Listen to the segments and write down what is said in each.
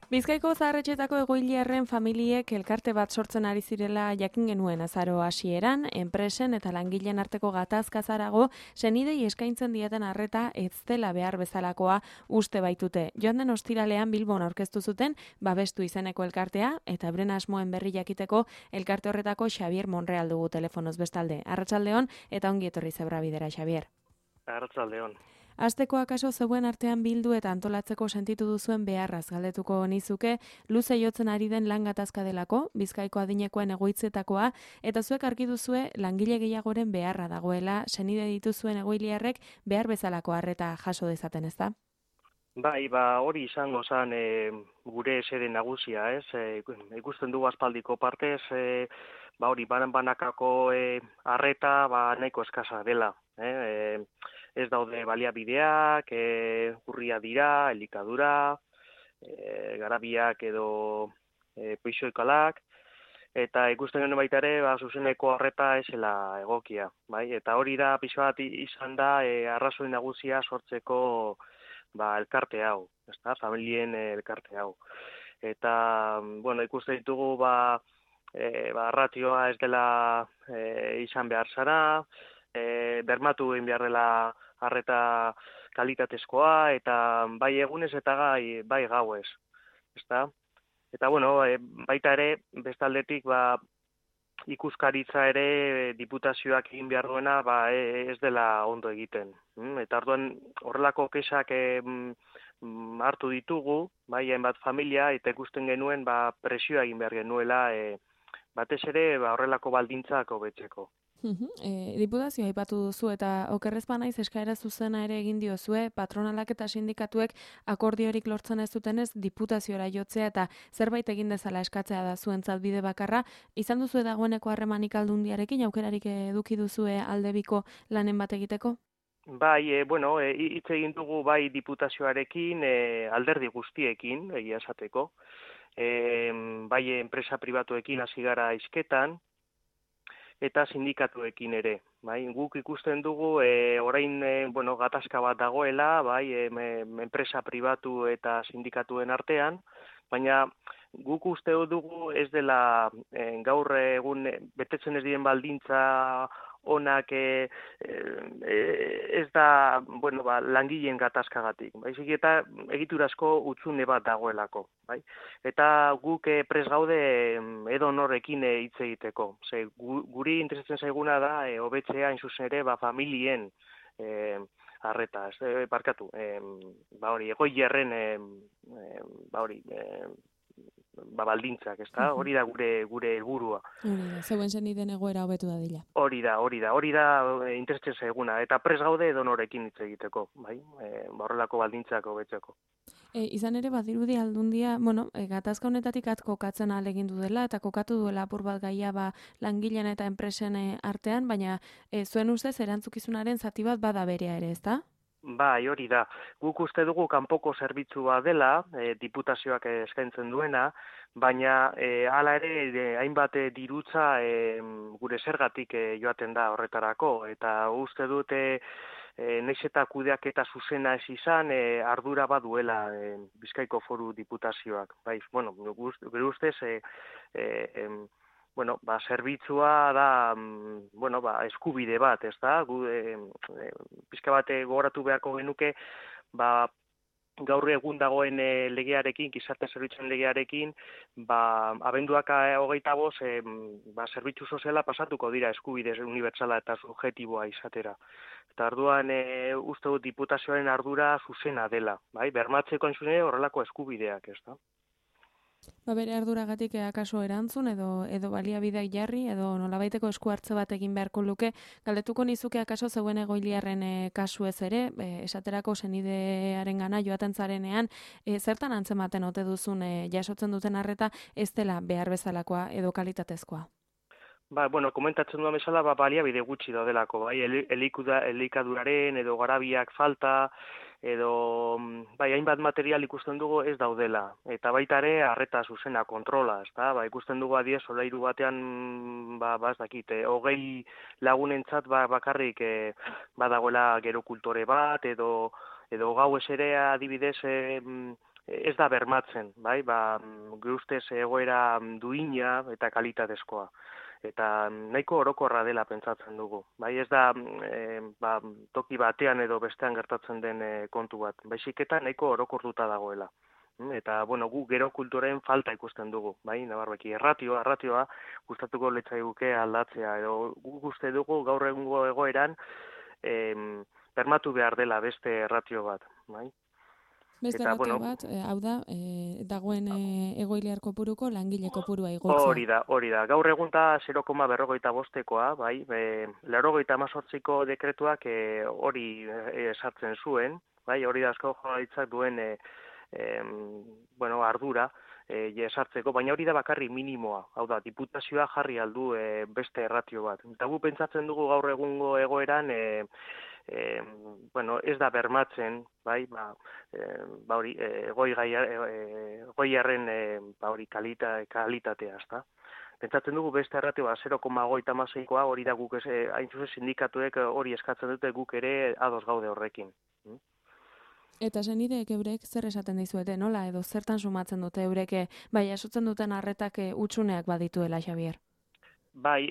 Bizkaiko zaharretxetako egoiliarren familiek elkarte bat sortzen ari zirela jakin genuen azaro hasieran, enpresen eta langileen arteko gatazkazarago, senidei eskaintzen dieten arreta ez dela behar bezalakoa uste baitute. Joan den ostiralean Bilbon aurkeztu zuten babestu izeneko elkartea eta euren asmoen berri jakiteko elkarte horretako Xabier Monreal dugu telefonoz bestalde. Arratsaldeon eta ongi etorri Zebrabidera, Xabier. Arratsaldeon. Asteko akaso zeuen artean bildu eta antolatzeko sentitu duzuen beharraz galdetuko nizuke, luze jotzen ari den lan gatazka delako, Bizkaiko adinekoen egoitzetakoa, eta zuek argi duzue langile gehiagoren beharra dagoela, senide dituzuen egoiliarrek behar bezalako arreta jaso dezaten, ezta? Bai, hori izango zen gure xede nagusia, ez? Ikusten dugu aspaldiko partez, hori banakako arreta nahiko eskasa dela. Ez daude baliabideak, urria dira, elikadura, garabiak edo peixoikalak, eta ikusten genuen baita ere, zuzeneko arreta esela egokia, bai? Eta hori da, pixo bat izan da, arrazoi nagusia sortzeko elkarte hau, ezta? Familien elkarte hau. Eta, ikusten ditugu, ratioa ez dela izan behar zara, bermatu egin behar dela arreta kalitatezkoa, eta bai egunez eta bai gauez, ezta? Eta, baita ere, bestaldetik, ikuskaritza ere diputazioak egin behar duena ez dela ondo egiten. Eta orduan horrelako kesak hartu ditugu, hainbat familia, eta ikusten genuen presioa egin behar genuela, batez ere horrelako baldintzak hobetzeko. Diputazioa aipatu duzu eta okerrez banaiz eskaera zuzena ere egin diozue, patronalak eta sindikatuek akordiorik lortzen ez dutenez diputaziora jotzea eta zerbait egin dezala eskatzea da zuentzat bide bakarra. Izan duzu dagoeneko harremanik Aldundiarekin, aukerarik eduki duzue aldebiko lanen bat egiteko? Bai, hitz egin dugu bai diputazioarekin, alderdi guztiekin, egia esateko, bai enpresa pribatuekin hasi gara hizketan, eta sindikatuekin ere. Bai, guk ikusten dugu orain gatazka bat dagoela, bai, enpresa pribatu eta sindikatuen artean, baina guk uste dugu ez dela gaur egun betetzen ez diren baldintza onak ez da langileen gatazkagatik, baizik eta egiturazko hutsune bat dagoelako, bai? Eta guk prest gaude edonorrekin hitz egiteko. Ze guri interesatzen zaiguna da hobetzea hain zuzen ere familien arreta, barkatu, egoiliarren baldintzak, ezta? Hori da gure helburua. Zeuen senideen egoera hobetu dadila. Hori da interesatzen zaiguna, eta prest gaude edonorekin hitz egiteko, bai? Horrelako baldintzak hobetzeko. Izan ere badirudi Aldundia, gatazka honetatik kokatzen ahal egin du dela eta kokatu duela apur bat gaia langileen eta enpresen artean, baina zuen ustez erantzukizunaren zati bat bada berea ere, ezta? Bai, hori da. Guk uste dugu kanpoko zerbitzua dela, diputazioak eskaintzen duena, baina hala ere hainbat dirutza gure zergatik joaten da horretarako, eta uste dute nahiz eta kudeaketa zuzena ez izan, ardura baduela Bizkaiko Foru Diputazioak. Bai, gure ustez, zerbitzua da, eskubide bat, ez da? Pizka bat gogoratu beharko genuke, gaur egun dagoen legearekin, gizarte zerbitzuen legearekin, abenduak 25, zerbitzu soziala pasatuko dira eskubide unibertsala eta subjektiboa izatera. Eta orduan uste dut diputazioaren ardura zuzena dela, bai? Bermatzeko horrelako eskubideak, ez da? Bere arduragatik akaso erantzun edo baliabideak jarri edo nolabaiteko esku hartze bat egin beharko luke, galdetuko nizuke akaso zeuen egoiliarren kasuez ere, esaterako senidearengana joaten zarenean, zertan antzematen ote duzun jasotzen duten arreta ez dela behar bezalakoa edo kalitatezkoa? Komentatzen duan bezala, baliabide gutxi daudelako, bai, elikaduraren edo garabiak falta, edo hainbat material ikusten dugu ez daudela. Eta baita ere, arreta zuzena kontrola, ezta? Ikusten dugu adiez, solairu batean, ez dakit, 20 lagunentzat bakarrik badagoela gero kultore bat, edo gauez ere adibidez ez da bermatzen, bai, gure ustez egoera duina eta kalitatezkoa. Eta nahiko orokorra dela pentsatzen dugu. Bai, ez da toki batean edo bestean gertatzen den kontu bat. Baizik eta nahiko orokortuta dagoela. Eta, gu gero kulturen falta ikusten dugu, bai, nabarreki, erratioa gustatuko litzaiguke aldatzea, edo guk uste dugu gaur egungo egoeran bermatu behar dela beste erratio bat, bai. Beste ratio bat, hau da, dagoen egoiliar kopuruko langile kopurua igotzea. Hori da. Gaur egun da 0,45koa, bai, 98ko dekretuak hori sartzen zuen, bai, hori da Eusko Jaurlaritzak duen ardura sartzeko, baina hori da bakarri minimoa, hau da, diputazioa jarri aldu beste erratio bat. Eta gu pentsatzen dugu gaur egungo egoeran ez da bermatzen, bai, hori, goiarren hori kalitatea, ezta. Pentsatzen dugu beste erratioa 0,56koa hori da guk hain zuzen sindikatuek hori eskatzen dute guk ere ados gaude horrekin. Eta senideek eurek zer esaten dizuete, nola, edo zertan sumatzen dute eurek, bai, jasotzen duten arretak utsuneak badituela, Xabier? Bai,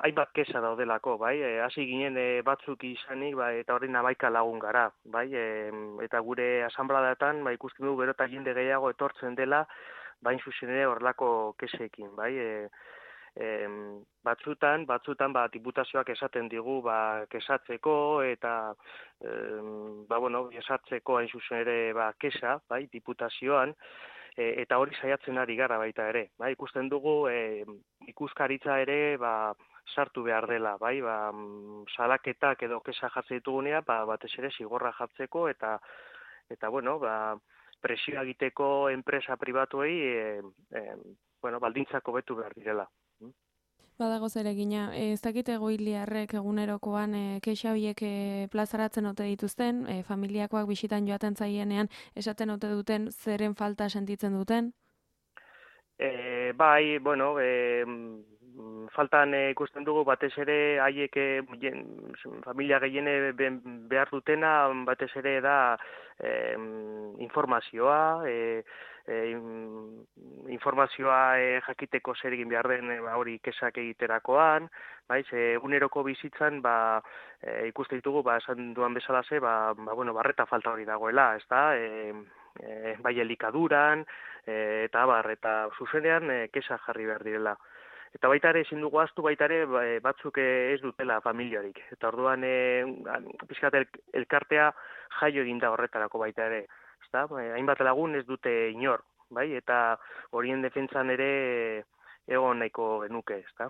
hainbat kesa daudelako, bai, hasi ginen batzuk izanik, bai, eta hori 11 lagun gara, bai, eta gure asanbladetan, bai, ikusten dugu gero eta jende gehiago etortzen dela, bain zuzen ere horrelako kesekin, bai, batzutan diputazioak esaten digu kesatzeko eta kesatzeko hain zuzen ere kesa, bai, diputazioan, eta hori saiatzen ari gara baita ere. Bai, ikusten dugu ikuskaritza ere sartu behar dela, bai, salaketak edo kesa jartzen ditugunea, batez ere zigorra jartzeko eta presioa egiteko enpresa pribatuei baldintzak hobetu behar direla. Badago zer egina, ez dakit egoiliarrek egunerokoan kexa horiek plazaratzen ote dituzten, familiakoak bisitan joaten zaienean esaten ote duten zeren falta sentitzen duten? Faltan ikusten dugu batez ere haiek familia gehiene behar dutena batez ere da informazioa, jakiteko zer egin behar den hori kesak egiterakoan, bai, eguneroko bizitzan ikusten ditugu esan duan bezalaze, barreta falta hori dagoela, ezta? Bai elikaduran eta zuzenean kesa jarri behar direla. Eta baita ere ezin dugu ahaztu baita ere batzuk ez dutela familiarik. Eta orduan pixkat elkartea jaio egin da horretarako baita ere. Hainbat lagun ez dute inor, bai? Eta horien defentsan ere egon nahiko genuke, ezta?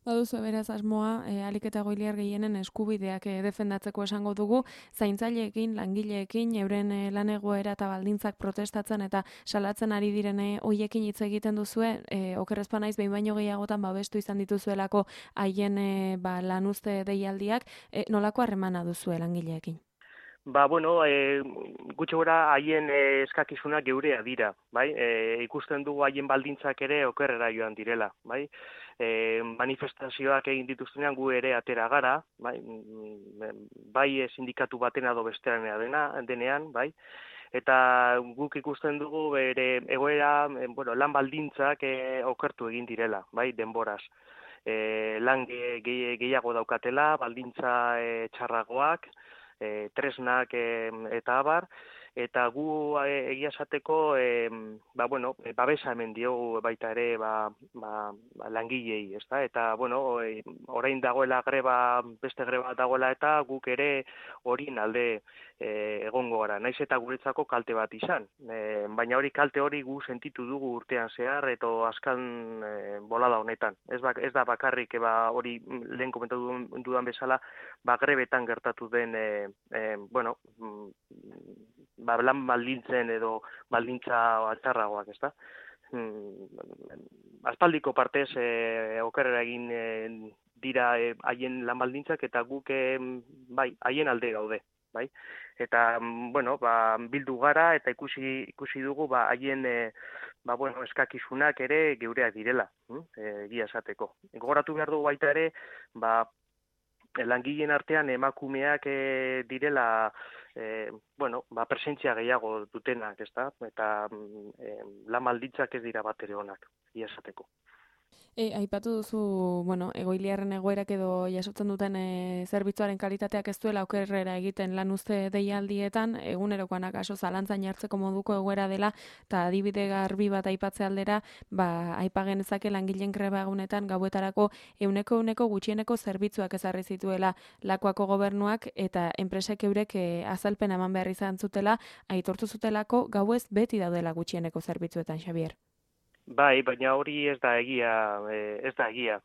Baduzu beraz asmoa, ahalik eta egoiliar gehienen eskubideak defendatzeko esango dugu, zaintzaileekin, langileekin, euren lan egoera eta baldintzak protestatzen eta salatzen ari direne hoiekin hitz egiten duzue, okerrezpa naiz behin baino gehiagotan babestu izan dituzuelako haien lanuzte deialdiak, nolako harremana duzue langileekin? Gutxi gora haien eskakizunak geurea dira, bai? Ikusten dugu haien baldintzak ere okerrera joan direla, bai? Manifestazioak egin dituztenean gu ere atera gara, bai sindikatu baten edo bestean denean, bai? Eta guk ikusten dugu bere egoera, lan baldintzak okertu egin direla, bai? Denboraz. Lan gehiago daukatela, baldintza txarragoak, tresnak eta abar, eta gu egia esateko babesa hemen diogu baita ere langilei, ezta? Eta orain dagoela beste greba dagoela eta guk ere horien alde egongo gara. Naiz eta guretzako kalte bat izan. Baina kalte hori gu sentitu dugu urtean zehar eta azkan bolada honetan. Ez da bakarrik hori lehen komentatu dudan bezala grebetan gertatu den lan baldintzen edo baldintza txarragoak, ezta? Aspaldiko partez okerrera egin dira haien lan baldintzak eta guk haien alde gaude, bai? Eta bildu gara eta ikusi dugu haien eskakizunak ere geureak direla, egia esateko. Gogoratu behar dugu baita ere, langileen artean emakumeak direla presentzia gehiago dutenak, ezta? Eta lan baldintzak ez dira bat ere onak, ia esateko. Aipatu duzu, egoiliarren egoerak edo jasotzen duten zerbitzuaren kalitateak ez duela okerrera egiten lan uzte deialdietan, egunerokoanak aso zalantzan jartzeko moduko egoera dela, eta adibide garbi bat aipatze aldera, aipa genezake langileen greba egunetan gauetarako 100% gutxieneko zerbitzuak ezarri zituela Lakuako gobernuak, eta enpresek eurek azalpen eman behar izan zutela, aitortu zutelako gauez beti daudela gutxieneko zerbitzuetan, Xabier. Bai, baina hori ez da egia,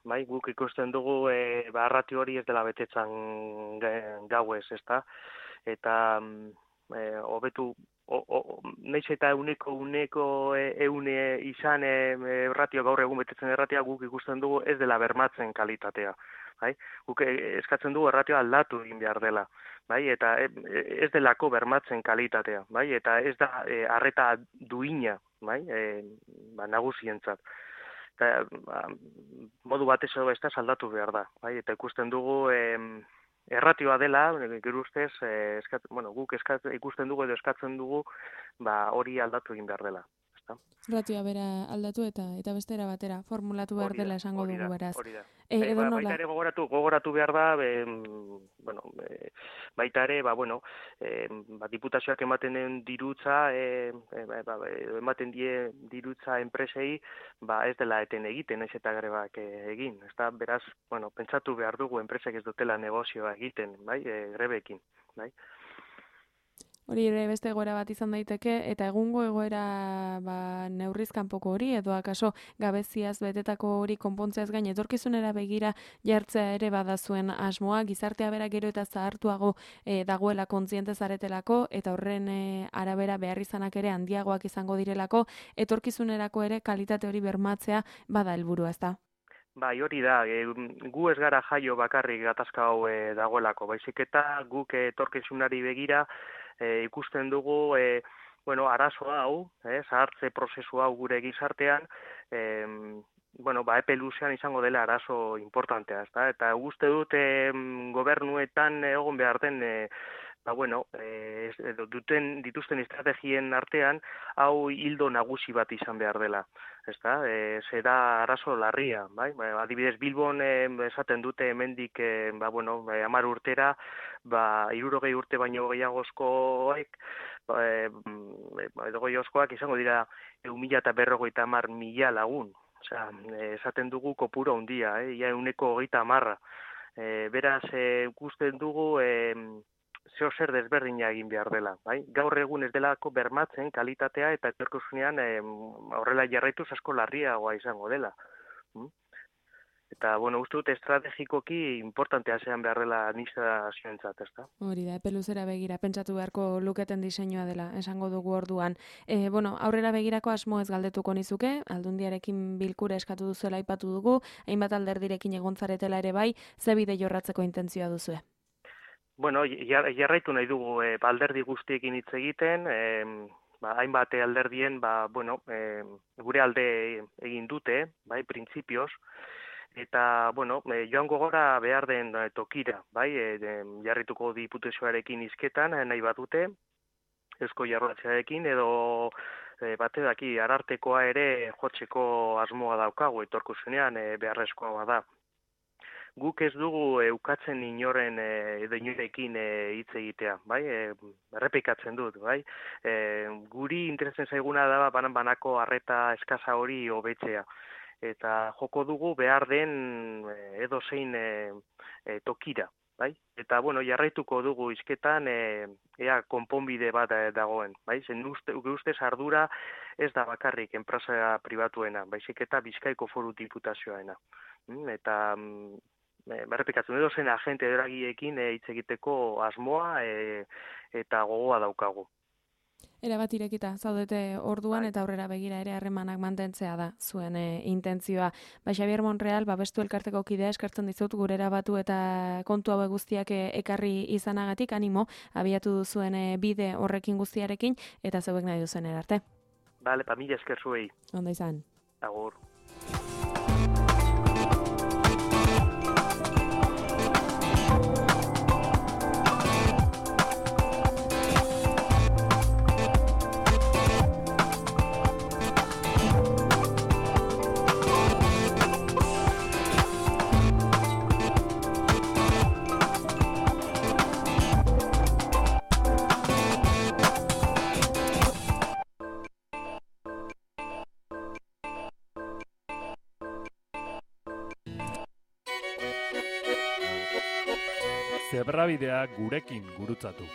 bai, guk ikusten dugu ratio hori ez dela betetzen gauez, ezta? Eta hobetu naiz eta uneko izan ratio gaur egun betetzen erratia guk ikusten dugu ez dela bermatzen kalitatea. Bai? Guk eskatzen dugu erratioa aldatu egin behar dela, bai? Eta ez delako bermatzen kalitatea, bai? Eta ez da arreta duina, bai? Nagusientzat. Eta modu batez ez da saldatu behar da, bai? Eta ikusten dugu erratioa dela, gero ustez, guk ikusten dugu edo eskatzen dugu, hori aldatu egin behar dela. Ratioa bera aldatu eta bestera batera formulatu behar dela esango dugu beraz. Hori da. Baita ere gogoratu behar da, baita ere, diputazioak ematen den dirutza, ematen die dirutza enpresei, ez dela eten egiten, ez eta grebak egin. Ezta, beraz, pentsatu behar dugu enpresek ez dutela negozioa egiten, bai, grebekin, bai. Hori ere beste egoera bat izan daiteke, eta egungo egoera neurriz kanpoko hori, edo akaso gabeziaz betetako hori konpontzeaz gain etorkizunera begira jartzea ere badazuen asmoa, gizartea bera gero eta zahartuago dagoela kontziente zaretelako, eta horren arabera beharrizanak ere handiagoak izango direlako, etorkizunerako ere kalitate hori bermatzea bada helburua, ezta? Bai, hori da, gu ez gara jaio bakarrik gatazka hau dagoelako, baizik eta guk etorkizunari begira ikusten dugu, arazo hau, zahartze prozesu hau gure gizartean, epe luzean izango dela arazo importantea, ezta? Eta uste dut gobernuetan egon behar den, dituzten estrategien artean, hau hildo nagusi bat izan behar dela. Ezta? Zera arazo larria, bai? Adibidez Bilbon esaten dute hemendik 10 urtera, 60 urte baino gehiagozkoek, edo gehiagozkoak izango dira 1.050.000 lagun. Osea, esaten dugu kopuru handia, ia 130. Beraz, ikusten dugu zer desberdina egin behar dela, bai? Gaur egun ez delako bermatzen kalitatea eta etorkizunean horrela jarraituz asko larriagoa izango dela. Eta, uste dut estrategikoki importantea zean behar dela administrazioentzat, ezta? Hori da, epe luzera begira, pentsatu beharko luketen diseinua dela, esango dugu orduan. Aurrera begirako asmo ez galdetuko nizuke, Aldundiarekin bilkura eskatu duzuela aipatu dugu, hainbat alderdirekin egontzaretela ere bai, ze bide jorratzeko intentzioa duzue? Jarraitu nahi dugu alderdi guztiekin hitz egiten, hainbat alderdien, gure alde egin dute, bai, printzipioz, eta, joango gora behar den tokira, bai, jarrituko diputazioarekin hizketan, nahi bat dute, Eusko Jaurlaritzarekin, edo batedaki arartekoa ere jotzeko asmoa daukagu, etorkizunean beharrezkoa bada. Guk ez dugu ukatzen inoren edo inorekin hitz egitea, bai? Errepikatzen dut, bai? Guri interesatzen zaiguna da banako arreta eskasa hori hobetzea. Eta joko dugu behar den edozein tokira, bai? Eta, jarraituko dugu hizketan ea konponbide bat dagoen, bai? Zen ustez ardura ez da bakarrik enpresa pribatuena, baizik eta Bizkaiko Foru Diputazioarena. Eta berrepikatzen edo zen agente eragiekin hitz egiteko asmoa eta gogoa daukagu. Erabat irekita zaudete orduan eta aurrera begira ere harremanak mantentzea da zuen intentzioa. Xabier Monreal, Babestu elkarteko kidea eskertzen dizut gurera batu eta kontu hauek guztiak ekarri izanagatik, animo, abiatu duzuen bide horrekin guztiarekin eta zeuek nahi duzen erarte. Bale, mila esker zuei. Ondo izan. Agur. zebrabidea gurekin gurutzatu.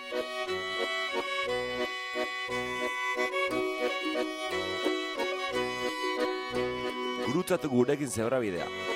Gurutzatu gurekin zebrabidea.